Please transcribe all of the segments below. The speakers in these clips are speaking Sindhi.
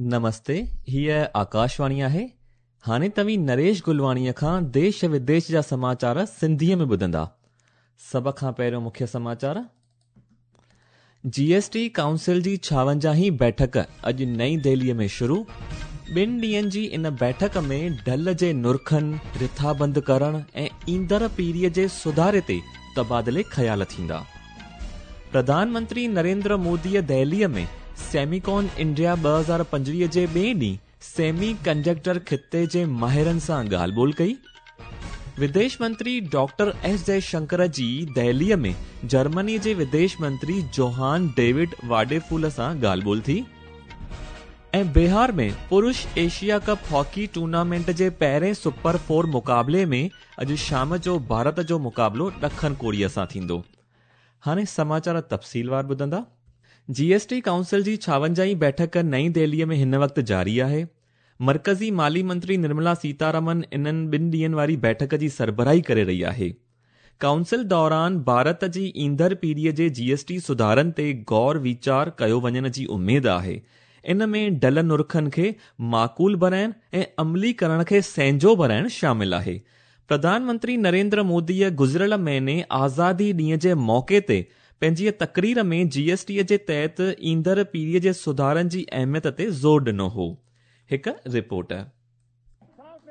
نمستي، هيء آڪاشواڻي آهي. هاڻي توهين نريش گلواڻيء کان ديش وديش جا سماچار سنڌيء ۾ ٻڌندا. سڀ کان پهريون مکيه سماچار. جي ايس ٽي ڪائونسل جي ڇاونجاهين بيٺڪ اڄ نئين دهليء ۾ شروع. ٻن ڏينهن جي ان بيٺڪ ۾ ڍل جي نرخن، رٿابند ڪرڻ ۽ ايندڙ پيڙهيء جي سڌاري تي تبادلي خيال ٿيندا. پرڌان منتري نريندر موديء دهليء ۾ سيميڪون انڊيا 2025 جي ٻئي ڏينهن سيمي ڪنڊڪٽر خطي جي ماهرن سان ڳالهه ٻولهه ڪئي. وديش منتري ڊاڪٽر ايس جئي شنڪر جي دهليء ۾ جرمني جي وديش منتري جوهان ڊيوڊ واڊيفول سان ڳالهه ٻولهه ٿي. ۽ بهار ۾ پرش ايشيا ڪپ هاڪي ٽورنامينٽ جي پهرين سپر فور مقابلي ۾ اڄ شام جو ڀارت جو مقابلو ڏکڻ ڪوريا سان ٿيندو. هاڻي سماچار تفصيلوار ٻڌندا. جي ايس ٽي ڪائونسل جي ڇاونجاهين بيٺڪ نئين دهليء ۾ هن وقت جاري آهي. مرڪزي مالي منتري نرملا سيتارامن انهن ٻن ڏينهن واري بيٺڪ جي سربراهي ڪري رهي آهي. ڪائونسل دوران ڀارت جي ايندڙ پيڙهيء جي جي ايس ٽي سڌارن تي غور ويچار ڪيو وڃڻ جي اميد آهي. ان ۾ ڍل نرخن کي معقول بڻائڻ ۽ عملي ڪرڻ کي سهنجو بڻائڻ شامل آهي. پرڌان منتري نريندر موديء گذريل مهيني آزادي ڏينهن جي موقعي تي پنهنجي تقرير ۾ جي ايس ٽي جي تحت ايندڙ پيڙهي جي سڌارن جي اهميت تي زور ڏنو هو. هڪ رپورٽ.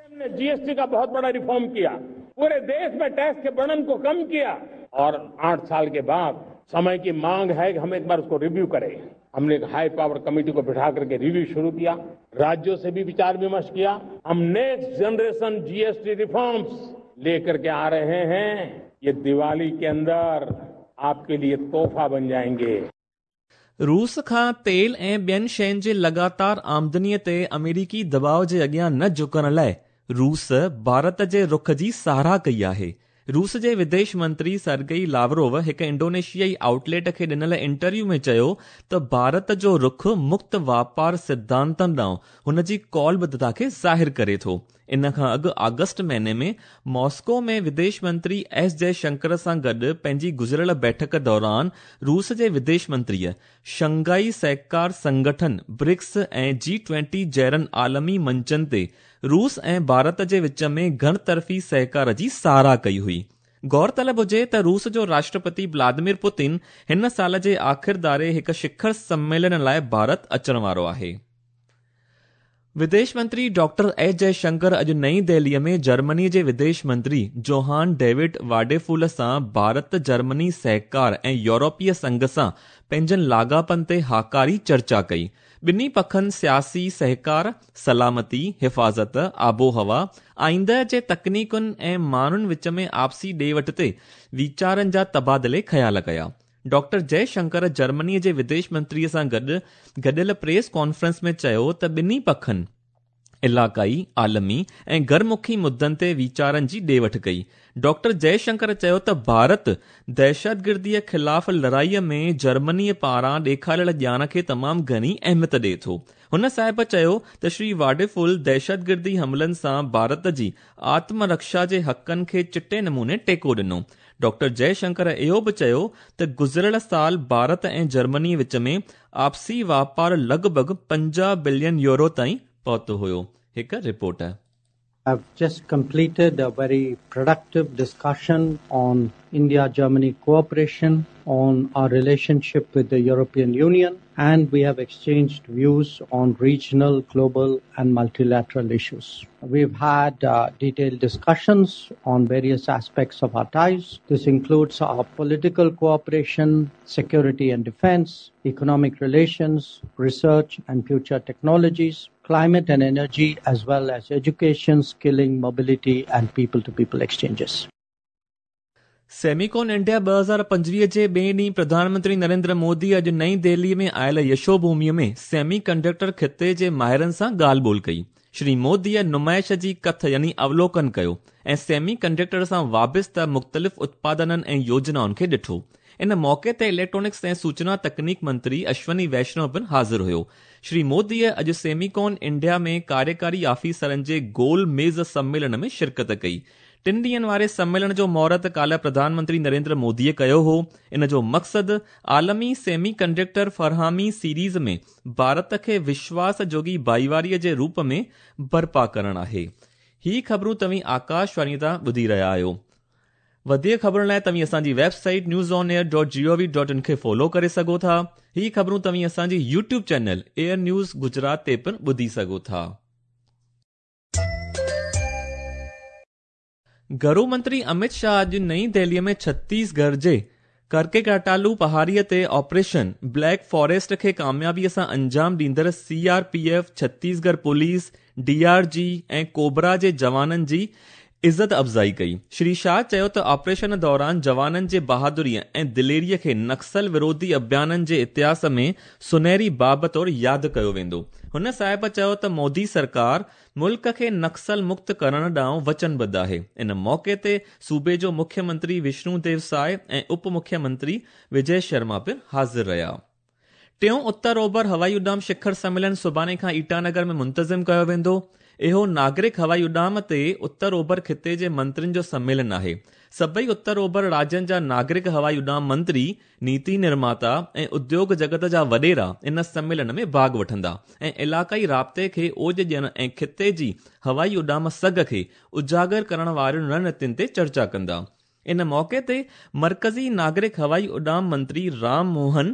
हमने जीएसटी का बहुत बड़ा रिफॉर्म किया पूरे देश में टैक्स के बर्डन को कम किया और आठ साल के बाद समय की मांग है कि हम एक बार उसको रिव्यू करें हमने एक हाई पावर कमेटी को बिठा करके रिव्यू शुरू किया राज्यों से भी विचार विमर्श किया हम नेक्स्ट जनरेशन जीएसटी रिफॉर्म्स लेकर के आ रहे हैं ये दिवाली के अंदर आपके लिए तोहफा बन जाएंगे روس کان تيل ۽ ٻين شين جي لڳاتار آمدني تي آمريڪي دٻاء جي اڳيان نه جهڪڻ لاء روس ڀارت جي رخ جي ساراهه ڪئي آهي. روس جي وديش منتري سرگئي لاوروو هڪ انڊونيشيائي آئوٽ ليٽ کي ڏنل انٽرويو ۾ چيو ته ڀارت جو رخ مڪت واپار سڌانتن ڏانهن هن جي قولبڌتا کي ظاهر ڪري ٿو. ان کان اڳ آگسٽ مهيني ۾ ماسڪو ۾ وديش منتري ايس جئي شنڪر سان گڏ پنهنجي گذريل بيٺڪ دوران روس جي وديش منتريء شنگهائي سهڪار سنگٺن، برڪس ۽ جي ٽوئنٽي جهڙن عالمي منچن تي روس ۽ ڀارت جي وچ ۾ گهڻ طرفي سهڪار جي ساراهه ڪئي هئي. غور طلب هجي ته روس جو راشٽرپتي ولاديمير پوتين هن سال جي آخر ڌاري هڪ شکر سميلن لاء ڀارت اچڻ وارو آهي. وديش منتري ڊاڪٽر ايس جئي شنڪر اڄ نئين دهليء ۾ جرمني جي وديش منتري جوهان ڊيوڊ واڊيفول سان ڀارت جرمني سهڪار ۽ يورپي سنگهه سان پنهنجن لاڳاپن تي هاڪاري چرچا ڪئي. ٻنهي پکن سياسي سهڪار، سلامتي، حفاظت، آبهوا، آئنده جي تڪنيڪن ۽ ماڻهن وچ ۾ آپسي ڏي وٺ تي ويچارن جا تبادلي خيال ڪيا. ڊاڪٽر جئي شنڪر جرمني جي وديش منتري سان گڏ گڏيل پريس ڪانفرنس ۾ چيو ته ٻنهي پکن علائقائي، عالمي ۽ گهرمکي مدن تي ويچارن جي ڏي وٺ ڪئي. ڊاڪٽر جئي شنڪر چيو ته ڀارت دهشتگردي خلاف لڙائي ۾ جرمني پاران ڏيکاريل ڄاڻ کي تمام گهڻي اهميت ڏئي ٿو. هن صاحب چيو ته شري واڊيفول دهشتگردي حملن سان ڀارت جي آتم رڪشا جي حقن کي چٽي نموني ٽيڪو ڏنو. ڊاڪٽر جئي شنڪر اهو به چيو ته گذريل سال ڀارت ۽ جرمني وچ ۾ آپسي واپار لڳ ڀڳ 50 بلين يورو تائين پهتو هيو. هڪ report. I've just completed a very productive discussion on India Germany cooperation, on our relationship with the European Union, and we have exchanged views on regional, global, and multilateral issues. We've had detailed discussions on various aspects of our ties. This includes our political cooperation, security and defense, economic relations, research and future technologies, climate and energy, as well as education, skilling, mobility, and people to people exchanges. Semicon India 2025 جي ٻئي ڏينهن پرڌان منتري نريندر مودي اڄ نئين دهلي ۾ آيل يشو ڀومي ۾ سيمي ڪنڊڪٽر خطي جي ماهرن سان ڳالهه ٻولهه ڪئي. شري موديء نمائش جي ڪٿ يعني اولوڪن ڪيو ۽ سيمي ڪنڊڪٽر سان وابسته مختلف اتپادنن ۽ يوجنائن کي ڏٺو. ان موقعي تي اليڪٽرانڪس ۽ سوچنا تڪنيڪ منتري اشوني ويشنو پڻ حاضر هيو. شري موديء اڄ سيميڪون انڊيا ۾ ڪاريڪاري آفيسرن جي گول ميز سميلن ۾ شرڪت ڪئي. ٽن ڏينهن واري سميلن جو مهورت ڪالهه پرڌان منتري نريندر موديء ڪيو هو. ان جو مقصد عالمي سيمي ڪنڊڪٽر فراهمي سيريز ۾ ڀارت کي وشواس جوڳي ڀائيواري جي روپ ۾ برپا ڪرڻ آهي. هي خبرون توهين آڪاشواڻي تان ٻڌي رهيا آهيو. وڌيڪ خبرن لاء توهين اسان جي website news on air dot G O V dot in کي فالو ڪري سگهو ٿا. هي خبرون توهين اسان جي YouTube channel air news Gujarat تي پڻ ٻڌي سگهو ٿا. گهرو منتري امت شاهه اڄ نئين دهلي ۾ ڇتيس ڳڙهه جي ڪرڪيڪاٽالو پهاڙي تي آپريشن بليڪ فاريسٽ کي ڪاميابي سان انجام ڏيندڙ C R P F, Chhattisgarh police, D R G ۽ cobra جي جوانن جي عزت افزائي ڪئي. شري شاهه چيو ته آپريشن دوران جوانن جي بهادري ۽ دليري کي نڪسل وروڌي اڀيانن جي اتهاس ۾ سنهري باب طور ياد ڪيو ويندو. هن صاحب چيو ته مودي سرڪار ملڪ کي نڪسل مڪت ڪرڻ ڏانهن وچنبڌ آهي. ان موقعي تي صوبي جو مکيه منتري وشنو ديو ساء ۽ اپ مکيه منتري وجي شرما پڻ حاضر رهيا. ٽيون اتر اوڀر هوائي اڏام شکر سميلن سڀاڻي کان ايٽانگر ۾ منتظم ڪيو ويندو. اهو ناگرڪ هوائي اڏام تي اتر اوڀر خطي جي منترين جو سميلن آهي. سڀئي اتر اوڀر راجين جا ناگرڪ هوائي اڏام منتري، نيتي نرماتا ۽ اديوگ جڳت جا وڏيرا ان سميلن ۾ ڀاڳ وٺندا ۽ علائقائي رابطي کي اوج ڏيڻ ۽ خطي جي هوائي اڏام سگهه کي اجاگر ڪرڻ وارين رڻنيتين تي چرچا ڪندا. ان موقعي تي مرڪزي ناگرڪ هوائي اڏام منتري رام موهن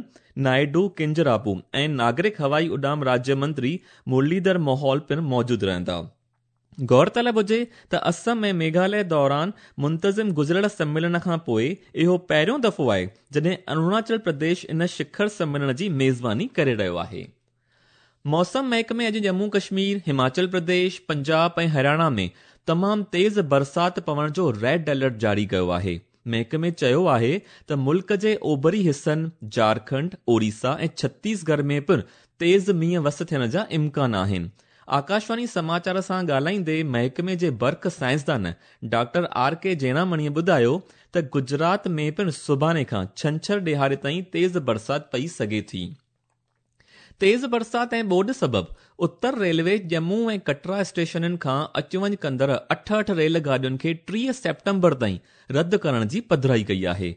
نائيڊو ڪنجراپو ۽ ناگرڪ هوائي اڏام راجيه منتري مرليڌر موهول پڻ موجود رهندا. غور طلب هجي ته اسم ۽ ميگهاليه دوران منتظم گذريل سميلن کان پوء اهو پهريون دفعو آهي جڏهن اروناچل پرديش ان شکر سميلن جي ميزباني ڪري رهيو آهي. موسم محڪمي اڄ ڄمون ڪشمير، هماچل پرديش، پنجاب ۽ هرياڻا ۾ تمام تيز برسات پوڻ جو ريڊ الرٽ جاري ڪيو آهي. محڪمي چيو آهي ته ملڪ جي اوڀري حصن جارکنڊ، اوريسا ۽ ڇتيس ڳڙهه ۾ پڻ تيز مينهن وس ٿيڻ جا امڪان آهن. آڪاشواڻي سماچار سان ڳالهائيندي محڪمي جي برق سائنسدان ڊاڪٽر آر ڪي جينامڻيء ٻڌايو ته گجرات ۾ پڻ سڀاڻي کان ڇنڇر ڏهاڙي تائين تيز برسات پئي سگهي ٿي. تيز برسات ۽ ٻوڏ سبب اتر ريلوي ڄمون ۽ ڪٽرا اسٽيشنن کان اچ وڃ ڪندڙ 68 ريل گاڏين کي 30 سيپٽمبر تائين رد ڪرڻ جي پڌرائي ڪئي آهي.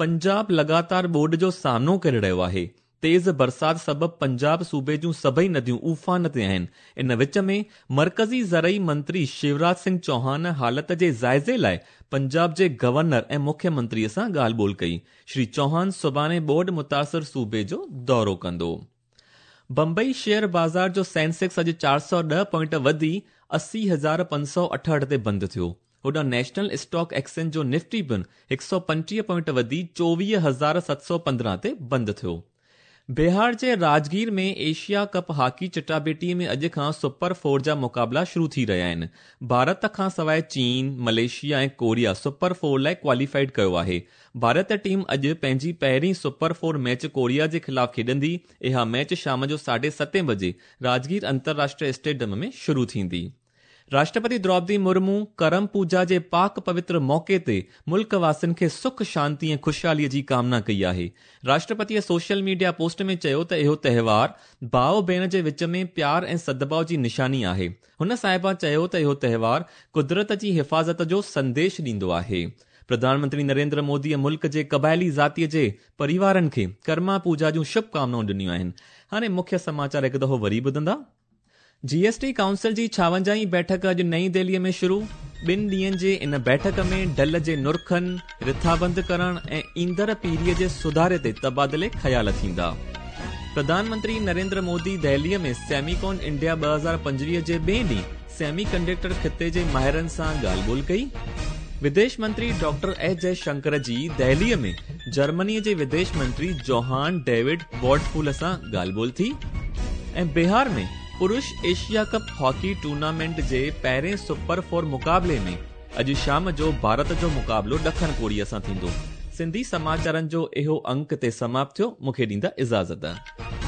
پنجاب لڳاتار ٻوڏ جو سامنو ڪري رهيو آهي. تيز برسات سبب پنجاب صوبي جون سڀئي نديون اوفان تي آهن. ان وچ ۾ مرڪزي زرعي منتري شيوراج سنگهه چوهان حالت جي جائزي لاء پنجاب جي گورنر ۽ مکيه منتري سان ڳالهه ٻولهه ڪئي. شري چوهان سڀاڻي ٻوڏ متاثر صوبي جو دورو ڪندو. بمبئي شيئر بازار جو سينسيڪس اڄ 410 پوائنٽ وڌي 80,568 تي بند ٿيو. هوڏانهن نيشنل اسٽاڪ ايڪسچينج جو نفٽي پڻ 125 پوائنٽ وڌي 24,715 تي بند ٿيو. بهار جي راجگير ۾ ايشيا ڪپ هاڪي چٽاڀيٽي ۾ اڄ کان سپر فور جا مقابلا شروع ٿي رهيا آهن. ڀارت کانسواء چين، ملائيشيا ۽ ڪوريا سپر فور لاء ڪواليفائيڊ ڪيو آهي. ڀارت ٽيم اڄ پنهنجي پهرين سپر فور ميچ ڪوريا جي خلاف کيڏندي، اها ميچ شام جو ساڍي ستين بجي راجگير انترراشٽريه اسٽيڊيم ۾ شروع ٿيندي. راشٽرپتي دروپدي مرمو ڪرم پوجا جي پاڪ پوتر موقعي تي ملڪ واسين کي سک، شانتي ۽ خوشحالي جي ڪامنا ڪئي آهي. راشٽرپتيء سوشل ميڊيا پوسٽ ۾ چيو ته اهو تهوار ڀاء ڀيڻ جي وچ ۾ پيار ۽ سدڀاء جي نشاني آهي. هن صاحبه چيو ته اهو تهوار قدرت جي حفاظت جو سنديش ڏيندو آهي. پرڌان منتري نريندر موديء ملڪ جي قبائلي ذاتيء جي پريوارن کي ڪرما پوجا جون شڀ ڪامنائون ڏنيون آهن. هاڻي مکيه سماچار هڪ دفعو وري ٻڌندا. جي ايس ٽي ڪائونسل جي ڇاونجاهين بيٺڪ اڄ نئين دهلي ۾ شروع، ٻن ڏينهن جي ان بيٺڪ ۾ ڍل جي نرخن، رٿابند ڪرڻ ۽ ايندڙ پيڙهي جي سڌاري تي تبادلي خيال ٿيندا. پرڌان منتري نريندر مودي دهلي ۾ سيميڪون انڊيا 2025 جي ٻئي ڏينهن سيمي ڪنڊڪٽر خطي جي ماهرن سان ڳالهه ٻولهه ڪئي. وديش منتري ڊاڪٽر ايس جئه شنڪر جي دهلي ۾ جرمني جي وديش منتري جوهان ڊيوڊ واڊفول سان ڳالهه ٻولهه ٿي ۽ بهار ۾ پرش ايشيا ڪپ هاڪي ٽورنامينٽ جي پهرين سپر فور مقابلي ۾ اڄ شام جو ڀارت جو مقابلو ڏکڻ ڪوريا سان ٿيندو. سنڌي سماچارن جو اهو انڪ هتي سماپت ٿيو. مون کي ڏيندا اجازت.